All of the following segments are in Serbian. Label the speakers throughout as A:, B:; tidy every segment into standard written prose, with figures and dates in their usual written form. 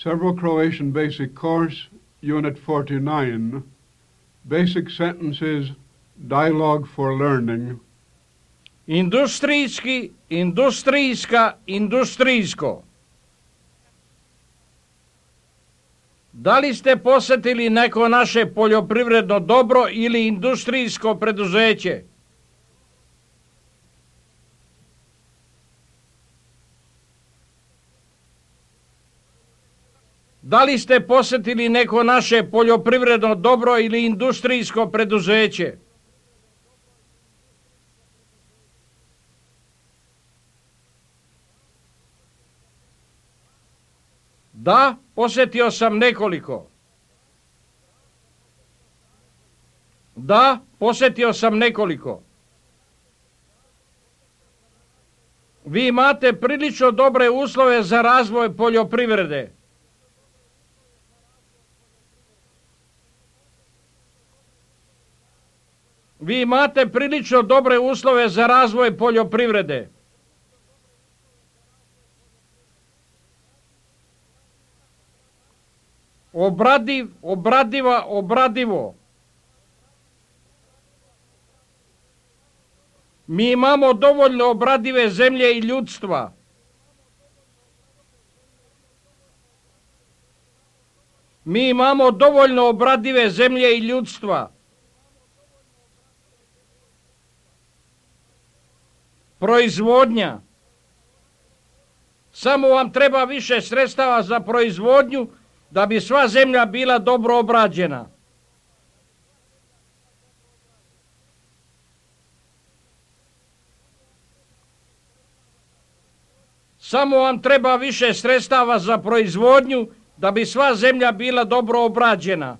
A: Serbo-Croatian Basic Course, Unit 49, Basic Sentences, Dialogue for Learning.
B: Industrijski, industrijska, industrijsko. Da li ste posjetili neko naše poljoprivredno dobro ili industrijsko preduzeće? Da li ste posjetili neko naše poljoprivredno dobro ili industrijsko preduzeće? Da, posjetio sam nekoliko. Da, posjetio sam nekoliko. Vi imate prilično dobre uslove za razvoj poljoprivrede. Vi imate prilično dobre uslove za razvoj poljoprivrede. Obradiv, obradiva, obradivo. Mi imamo dovoljno obradive zemlje i ljudstva. Mi imamo dovoljno obradive zemlje i ljudstva. Proizvodnja. Samo vam treba više sredstava za proizvodnju da bi sva zemlja bila dobro obrađena. Samo vam treba više sredstava za proizvodnju da bi sva zemlja bila dobro obrađena.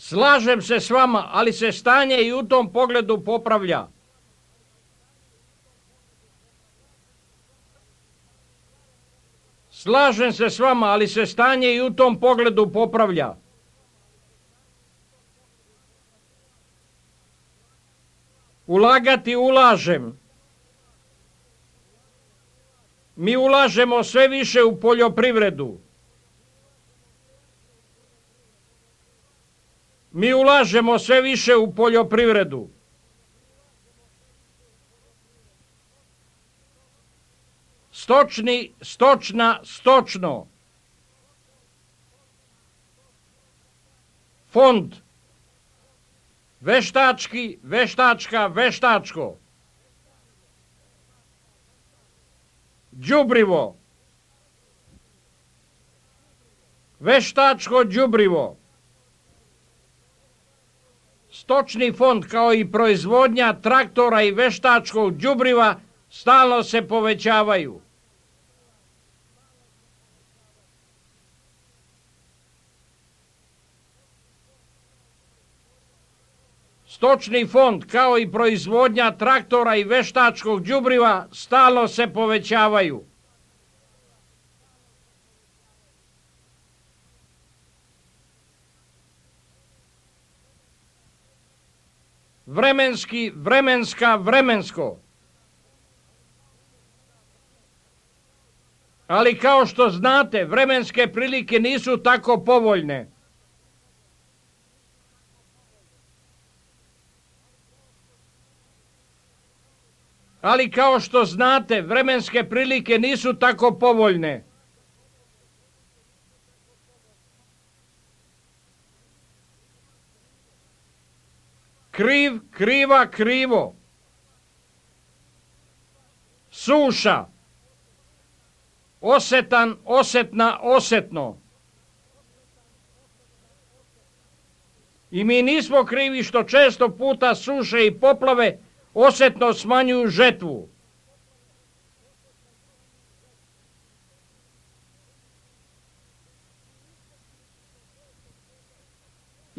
B: Slažem se s vama, ali se stanje i u tom pogledu popravlja. Slažem se s vama, ali se stanje i u tom pogledu popravlja. Ulagati ulažem. Mi ulažemo sve više u poljoprivredu. Mi ulažemo sve više u poljoprivredu. Stočni, stočna, stočno. Fond. Veštački, veštačka, veštačko. Đubrivo. Veštačko đubrivo. Stočni fond kao i proizvodnja traktora i veštačkog đubriva stalno se povećavaju. Stočni fond kao i proizvodnja traktora i veštačkog đubriva stalno se povećavaju. Vremenski, vremenska, vremensko. Ali kao što znate, vremenske prilike nisu tako povoljne. Ali kao što znate, vremenske prilike nisu tako povoljne. Kriv, kriva, krivo. Suša. Osetan, osetna, osetno. I mi nismo krivi što često puta suše i poplave osetno smanjuju žetvu.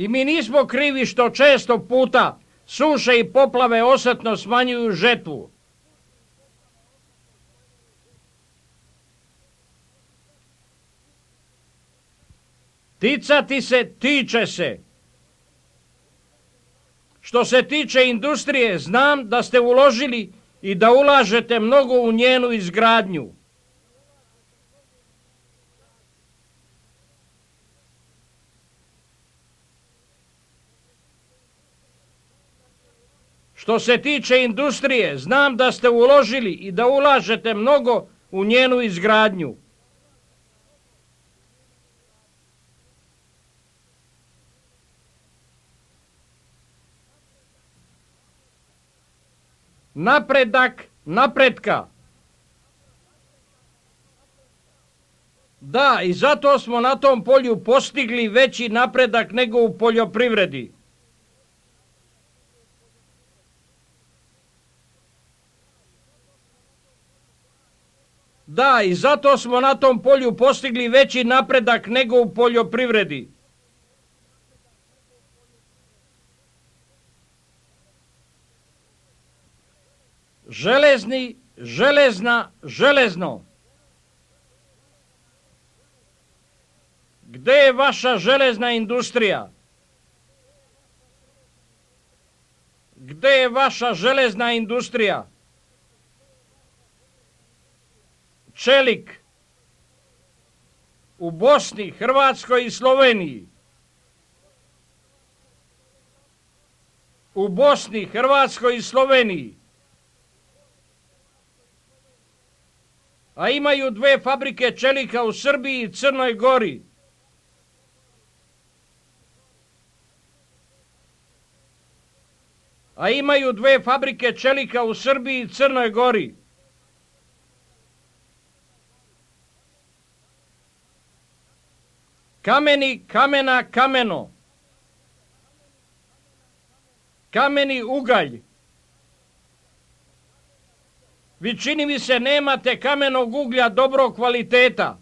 B: I mi nismo krivi što često puta suše i poplave osetno smanjuju žetvu. Ticati se, tiče se. Što se tiče industrije, znam da ste uložili i da ulažete mnogo u njenu izgradnju. Što se tiče industrije, znam da ste uložili i da ulažete mnogo u njenu izgradnju. Napredak napretka. Da, i zato smo na tom polju postigli veći napredak nego u poljoprivredi. Da, i zato smo na tom polju postigli veći napredak nego u poljoprivredi. Železni, železna, železno. Gde je vaša železna industrija? Gde je vaša železna industrija? Čelik. U Bosni, Hrvatskoj i Sloveniji. U Bosni, Hrvatskoj i Sloveniji. A imaju 2 fabrike čelika u Srbiji i Crnoj Gori. A imaju 2 fabrike čelika u Srbiji i Crnoj Gori. Kameni, kamena, kameno. Kameni ugalj. Vi čini mi se nemate kamenog uglja dobrog kvaliteta.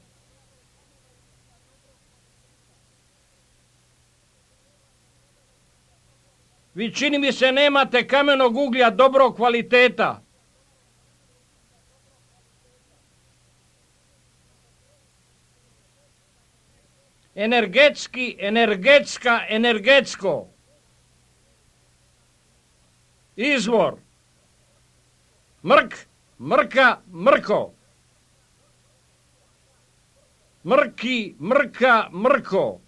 B: Vi čini mi se nemate kamenog uglja dobrog kvaliteta. Energetski, energetska, energetsko. Izvor. Mrk, mrka, mrko. Mrki, mrka, mrko.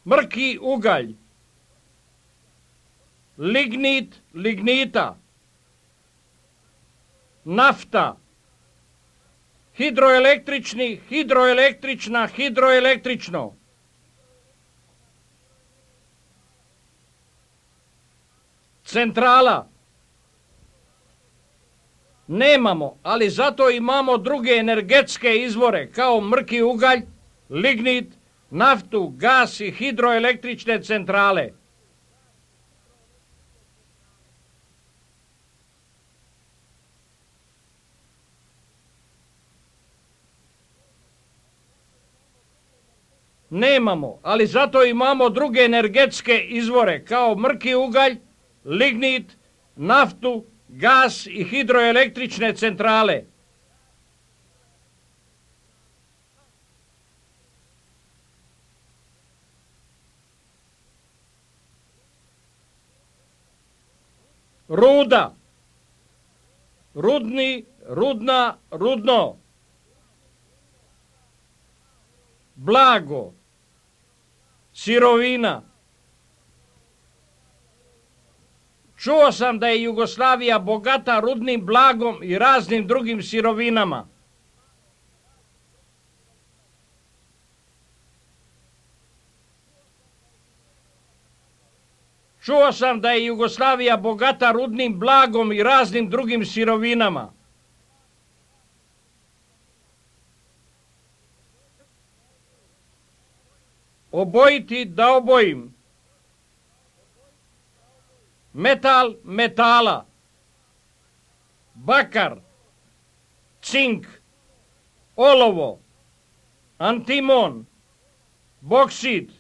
B: Mrki ugalj. Lignit, lignita. Nafta. Hidroelektrični, hidroelektrična, hidroelektrično. Centrala. Nemamo, ali zato imamo druge energetske izvore, kao mrki ugalj, lignit, naftu, gas i hidroelektrične centrale. Nemamo, ali zato imamo druge energetske izvore, kao mrki ugalj, lignit, naftu, gas i hidroelektrične centrale. Ruda. Rudni, rudna, rudno. Blago. Sirovina. Čuo sam da je Jugoslavija bogata rudnim blagom i raznim drugim sirovinama. Čuo sam da je Jugoslavija bogata rudnim blagom i raznim drugim sirovinama. Obojiti da obojim. Metal, metala. Bakar, cink, olovo, antimon, boksit.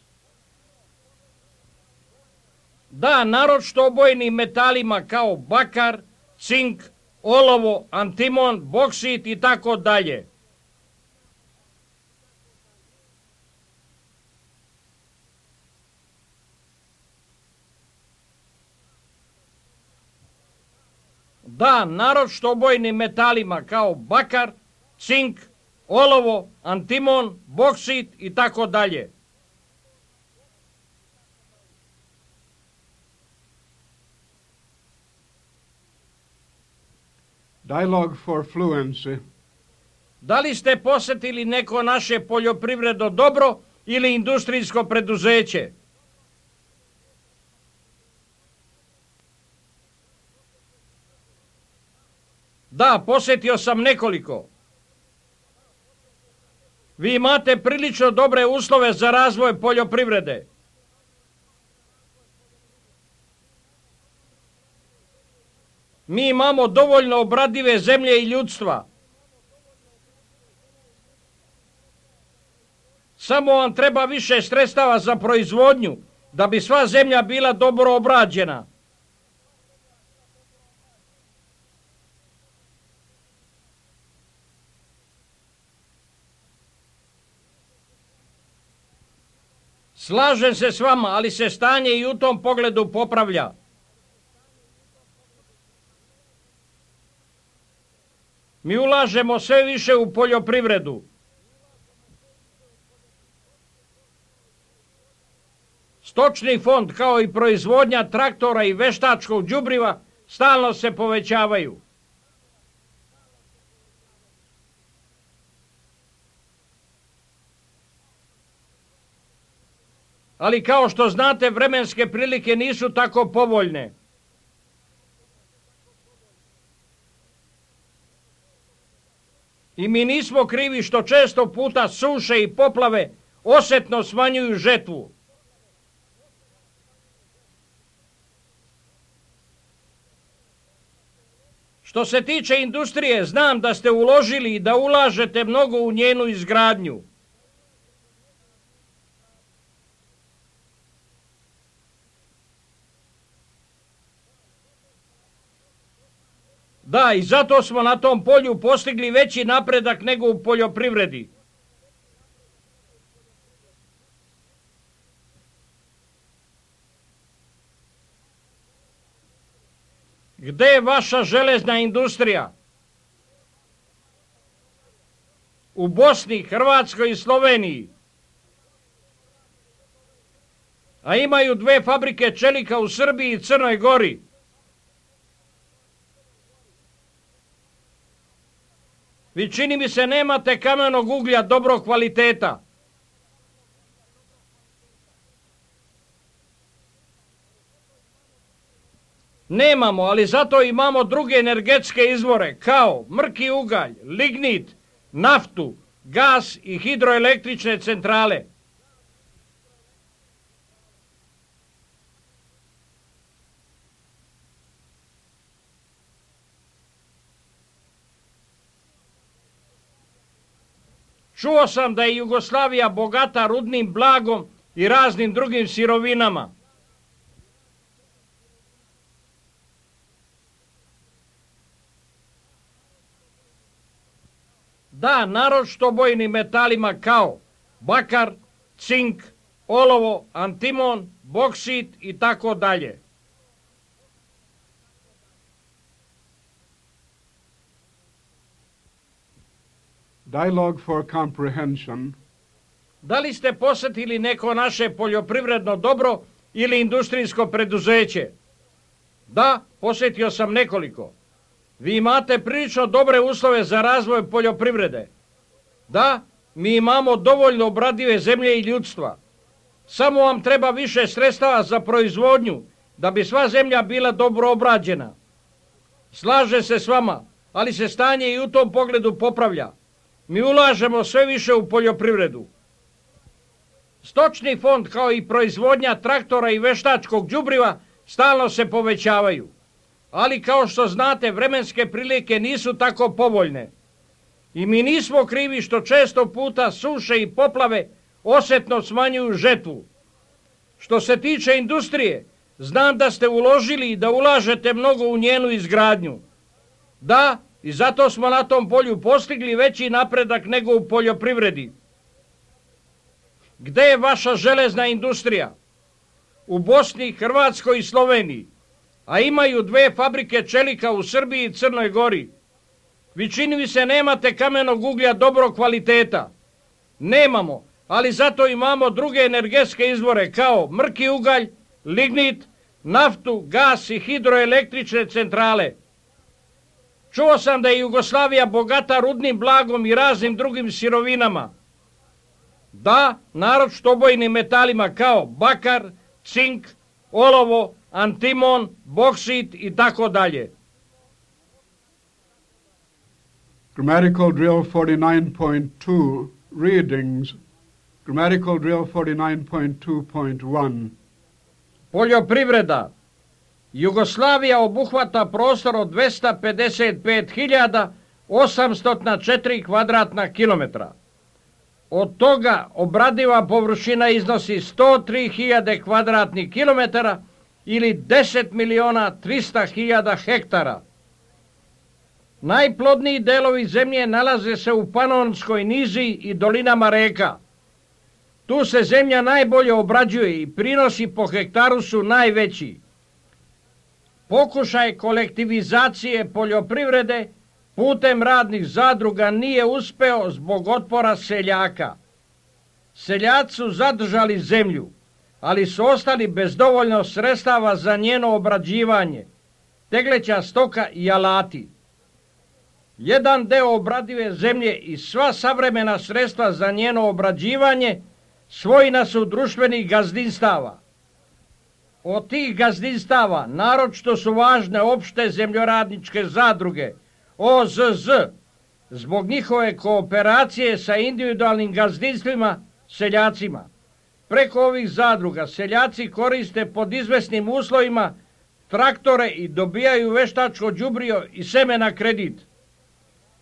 B: Da, naročito obojnim metalima kao bakar, cink, olovo, antimon, boksit i tako dalje. Da, naročito obojnim metalima kao bakar, cink, olovo, antimon, boksit i tako dalje.
A: Dialogue for fluency.
B: Da li ste posjetili neko naše poljoprivredno dobro ili industrijsko preduzeće? Da, posjetio sam nekoliko. Vi imate prilično dobre uslove za razvoj poljoprivrede. Mi imamo dovoljno obradive zemlje i ljudstva. Samo vam treba više sredstava za proizvodnju, da bi sva zemlja bila dobro obrađena. Slažem se s vama, ali se stanje i u tom pogledu popravlja. Mi ulažemo sve više u poljoprivredu. Stočni fond kao i proizvodnja traktora i veštačkog đubriva stalno se povećavaju. Ali kao što znate, vremenske prilike nisu tako povoljne. I mi nismo krivi što često puta suše i poplave osjetno smanjuju žetvu. Što se tiče industrije, znam da ste uložili i da ulažete mnogo u njenu izgradnju. Da, i zato smo na tom polju postigli veći napredak nego u poljoprivredi. Gde je vaša železna industrija? U Bosni, Hrvatskoj i Sloveniji. A imaju 2 fabrike čelika u Srbiji i Crnoj Gori. Vi, čini mi se, nemate kamenog uglja dobrog kvaliteta. Nemamo, ali zato imamo druge energetske izvore, kao mrki ugalj, lignit, naftu, gas i hidroelektrične centrale. Čuo sam da je Jugoslavija bogata rudnim blagom i raznim drugim sirovinama. Da, naročito bojnim metalima kao bakar, cink, olovo, antimon, boksit i tako dalje.
A: Dialogue for comprehension.
B: Da li ste posjetili neko naše poljoprivredno dobro ili industrijsko preduzeće? Da, posjetio sam nekoliko. Vi imate prilično dobre uslove za razvoj poljoprivrede. Da, mi imamo dovoljno obradive zemlje i ljudstva. Samo vam treba više sredstava za proizvodnju, da bi sva zemlja bila dobro obrađena. Slažem se s vama, ali se stanje i u tom pogledu popravlja. Mi ulažemo sve više u poljoprivredu. Stočni fond kao i proizvodnja traktora i veštačkog đubriva stalno se povećavaju. Ali kao što znate, vremenske prilike nisu tako povoljne. I mi nismo krivi što često puta suše i poplave osjetno smanjuju žetvu. Što se tiče industrije, znam da ste uložili i da ulažete mnogo u njenu izgradnju. Da, i zato smo na tom polju postigli veći napredak nego u poljoprivredi. Gde je vaša železna industrija? U Bosni, Hrvatskoj i Sloveniji. a imaju 2 fabrike čelika u Srbiji i Crnoj Gori. Vi čini mi se nemate kamenog uglja dobrog kvaliteta. Nemamo, ali zato imamo druge energetske izvore kao mrki ugalj, lignit, naftu, gas i hidroelektrične centrale. Čuo sam da je Jugoslavija bogata rudnim blagom i raznim drugim sirovinama. Da, naročito obojnim metalima kao bakar, cink, olovo, antimon, boksit i tako dalje.
A: Grammatical drill 49.2 readings. Grammatical drill 49.2.1.
B: Poljoprivreda. Jugoslavija obuhvata prostor od 255.804 kvadratna kilometra. Od toga obradiva površina iznosi 103.000 kvadratnih kilometara ili 10.300.000 hektara. Najplodniji delovi zemlje nalaze se u Panonskoj niziji i dolinama reka. Tu se zemlja najbolje obrađuje i prinosi po hektaru su najveći. Pokušaj kolektivizacije poljoprivrede putem radnih zadruga nije uspeo zbog otpora seljaka. Seljaci su zadržali zemlju, ali su ostali bez dovoljno sredstava za njeno obrađivanje, tegleća stoka i alati. Jedan deo obradive zemlje i sva savremena sredstva za njeno obrađivanje svojina su društvenih gazdinstava. Od tih gazdinstava naročito su važne opšte zemljoradničke zadruge, OZZ, zbog njihove kooperacije sa individualnim gazdinstvima, seljacima. Preko ovih zadruga seljaci koriste pod izvesnim uslovima traktore i dobijaju veštačko đubrivo i seme na kredit.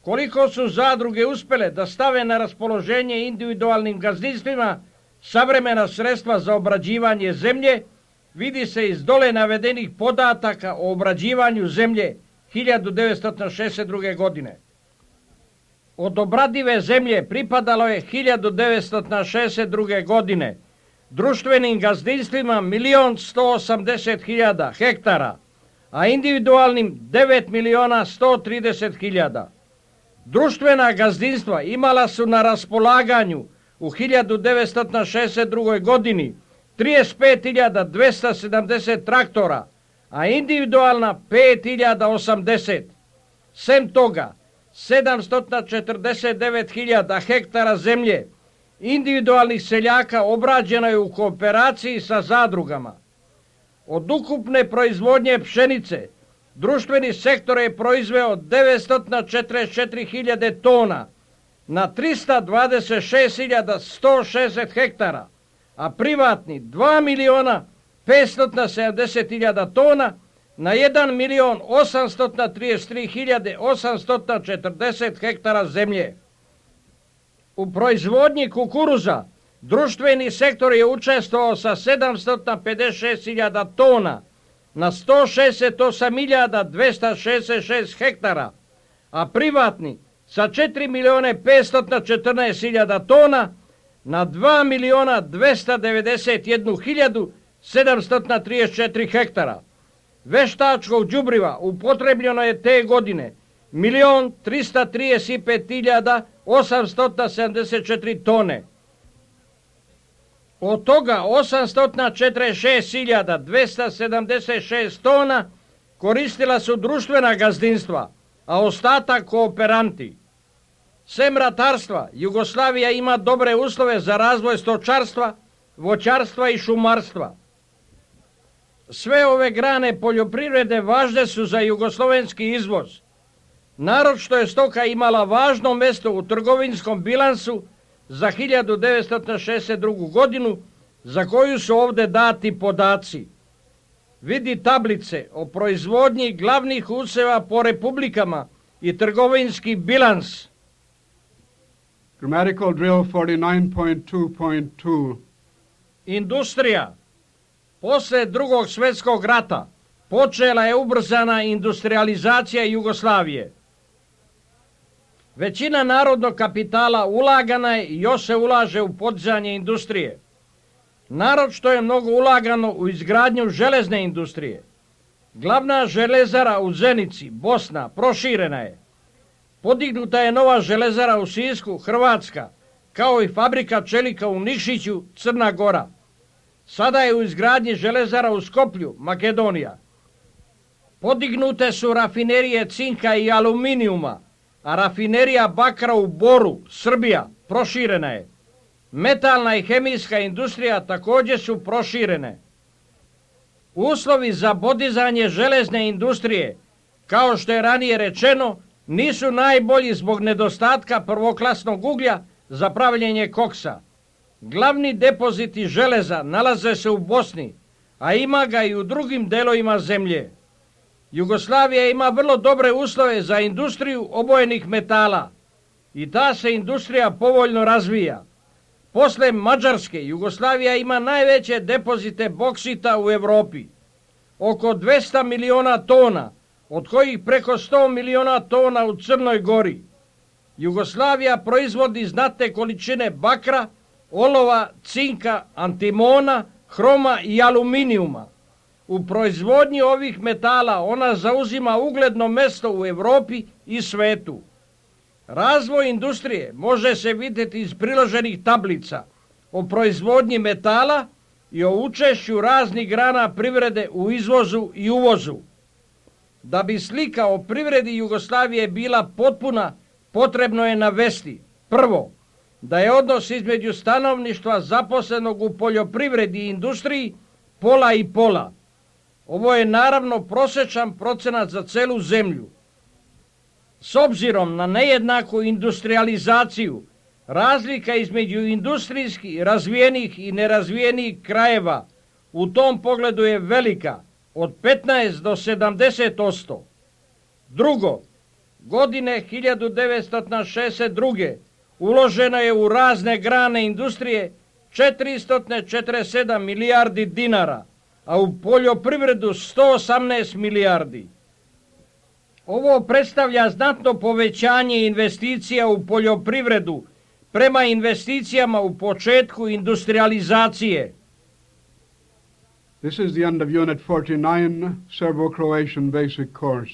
B: Koliko su zadruge uspjele da stave na raspoloženje individualnim gazdinstvima savremena sredstva za obrađivanje zemlje, vidi se iz dole navedenih podataka o obrađivanju zemlje 1962. godine. Od obradive zemlje pripadalo je 1962. godine društvenim gazdinstvima 1.180.000 hektara, a individualnim 9.130.000. Društvena gazdinstva imala su na raspolaganju u 1962. godini 35.270 traktora, a individualna 5.080. Sem toga, 749.000 hektara zemlje individualnih seljaka obrađeno je u kooperaciji sa zadrugama. Od ukupne proizvodnje pšenice, društveni sektor je proizveo 944.000 tona na 326.160 hektara, a privatni 2.570.000 tona na 1.833.840 hektara zemlje. U proizvodnji kukuruza društveni sektor je učestvovao sa 756.000 tona na 168.266 hektara, a privatni sa 4.514.000 tona na 2.291.734 hektara. Veštačkog đubriva upotrebljeno je te godine 1.335.874 tone. Od toga 846.276 tona koristila su društvena gazdinstva, a ostatak kooperanti. Sem ratarstva, Jugoslavija ima dobre uslove za razvoj stočarstva, voćarstva i šumarstva. Sve ove grane poljoprivrede važne su za jugoslovenski izvoz. Naročito je stoka imala važno mesto u trgovinskom bilansu za 1962. godinu, za koju su ovdje dati podaci. Vidi tablice o proizvodnji glavnih usjeva po republikama i trgovinski bilans.
A: Grammatical drill 49.2.2.
B: Industrija. Posle Drugog svjetskog rata počela je ubrzana industrializacija Jugoslavije. Većina narodnog kapitala ulagana je i još se ulaže u podizanje industrije. Naročito je mnogo ulagano u izgradnju železne industrije. Glavna železara u Zenici, Bosna, proširena je. Podignuta je nova železara u Sisku, Hrvatska, kao i fabrika čelika u Nikšiću, Crna Gora. Sada je u izgradnji železara u Skoplju, Makedonija. Podignute su rafinerije cinka i aluminijuma, a rafinerija bakra u Boru, Srbija, proširena je. Metalna i hemijska industrija također su proširene. Uslovi za podizanje železne industrije, kao što je ranije rečeno, nisu najbolji zbog nedostatka prvoklasnog uglja za pravljenje koksa. Glavni depoziti železa nalaze se u Bosni, a ima ga i u drugim delovima zemlje. Jugoslavija ima vrlo dobre uslove za industriju obojenih metala i ta se industrija povoljno razvija. Posle Mađarske, Jugoslavija ima najveće depozite boksita u Europi. Oko 200 miliona tona, od kojih preko 100 miliona tona u Crnoj Gori. Jugoslavija proizvodi znatne količine bakra, olova, cinka, antimona, hroma i aluminijuma. U proizvodnji ovih metala ona zauzima ugledno mesto u Europi i svetu. Razvoj industrije može se vidjeti iz priloženih tablica o proizvodnji metala i o učešću raznih grana privrede u izvozu i uvozu. Da bi slika o privredi Jugoslavije bila potpuna, potrebno je navesti: prvo, da je odnos između stanovništva zaposlenog u poljoprivredi i industriji pola i pola. Ovo je naravno prosječan procenat za celu zemlju. S obzirom na nejednaku industrializaciju, razlika između industrijski razvijenih i nerazvijenih krajeva u tom pogledu je velika, od 15 do 70%. Drugo, godine 1962. uloženo je u razne grane industrije 447 milijardi dinara, a u poljoprivredu 118 milijardi. Ovo predstavlja znatno povećanje investicija u poljoprivredu prema investicijama u početku industrializacije.
A: This is the end of Unit 49, Serbo-Croatian Basic Course.